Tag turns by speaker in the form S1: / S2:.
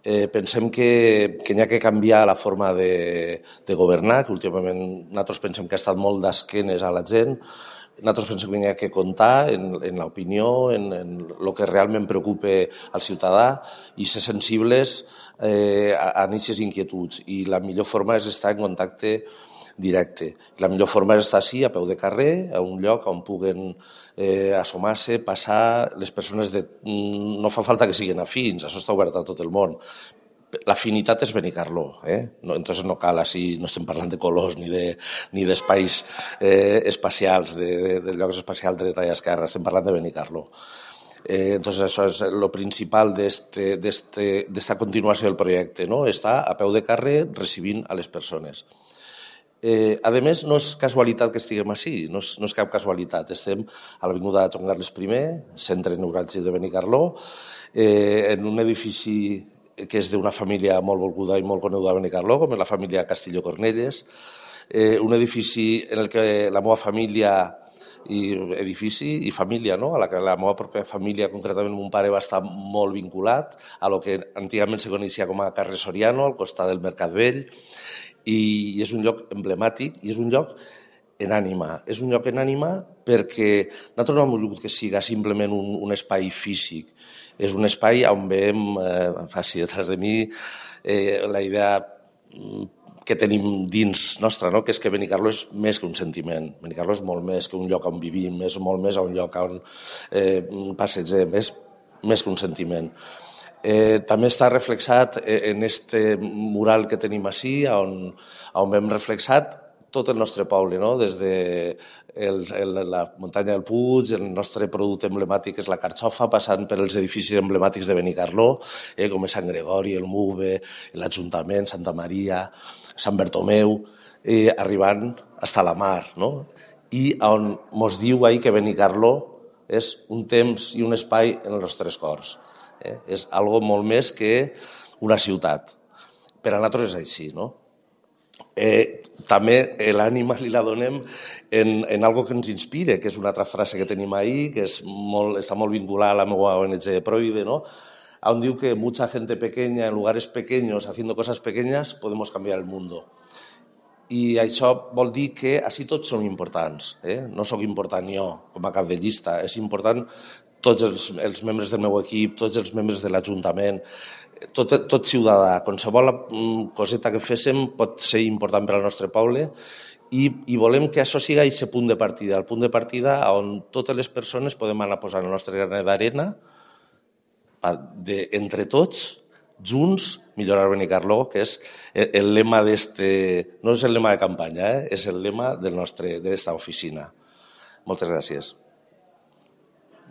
S1: Pensem que n'hi ha que canviar la forma de governar, que últimament nosaltres pensem que ha estat molt d'esquenes a la gent. Nosaltres pensem que n'hi ha que comptar en l'opinió, en el que realment preocupa al ciutadà i ser sensibles a aquestes inquietuds. I la millor forma és estar en contacte directe. La millor forma és estar així, a peu de carrer, a un lloc on puguen assomar-se, passar les persones no fa falta que siguin afins, això està obert a tot el món. L'afinitat és Benicarló, entonces no cal així, no estem parlant de colors ni d'espais espacials, de llocs espacials de dreta i esquerra, estem parlant de Benicarló. Entonces això és el principal d'esta continuació del projecte, estar a peu de carrer recibint a les persones. A més, no és casualitat que estiguem així, no és cap casualitat. Estem a l'avinguda Joan Carles I, centre neuràlgic de Benicarló, en un edifici que és d'una família molt volguda i molt coneguda a Benicarló, com és la família Castillo Cornelles, un edifici en el que la meva família edifici i família, a la que la meva pròpia família, concretament mon pare, va estar molt vinculat a lo que antigament se coneixia com a carrer Soriano, al costat del Mercat Vell, i és un lloc emblemàtic i és un lloc en ànima. És un lloc en ànima perquè nosaltres no hem volgut que siga simplement un espai físic. És un espai on veiem, faci detrás de mi, la idea que tenim dins nostra, que és que Benicarló és més que un sentiment. Benicarló és molt més que un lloc on vivim, és molt més un lloc on passegem, és més que un sentiment. També està reflexat en este mural que tenim així, on hem reflexat tot el nostre poble, des de la muntanya del Puig, el nostre producte emblemàtic és la carxofa, passant per els edificis emblemàtics de Benicarló, com és Sant Gregori, el MUVE, l'Ajuntament, Santa Maria, Sant Bertomeu, arribant fins a la mar, i on ens diu que Benicarló és un temps i un espai en els nostres cors. És algo molt més que una ciutat. Per a nosaltres és així, També l'ànima li la donem en algo que ens inspira, que és una altra frase que tenim ahí, que està molt vinculada a la meva ONG Proide, on diu que mucha gente pequeña en lugares pequeños haciendo cosas pequeñas podemos cambiar el mundo. I això vol dir que així tots som importants. No sóc important jo com a cap de llista, és important tots els membres del meu equip, tots els membres de l'Ajuntament, tot ciutadà. Qualsevol coseta que féssim pot ser important per al nostre poble i volem que això sigui aquest punt de partida, el punt de partida on totes les persones podem anar posant el nostre granet d'arena entre tots, junts, millorar Benicarló, que és el lema no és el lema de campanya, és el lema de l'esta oficina. Moltes gràcies.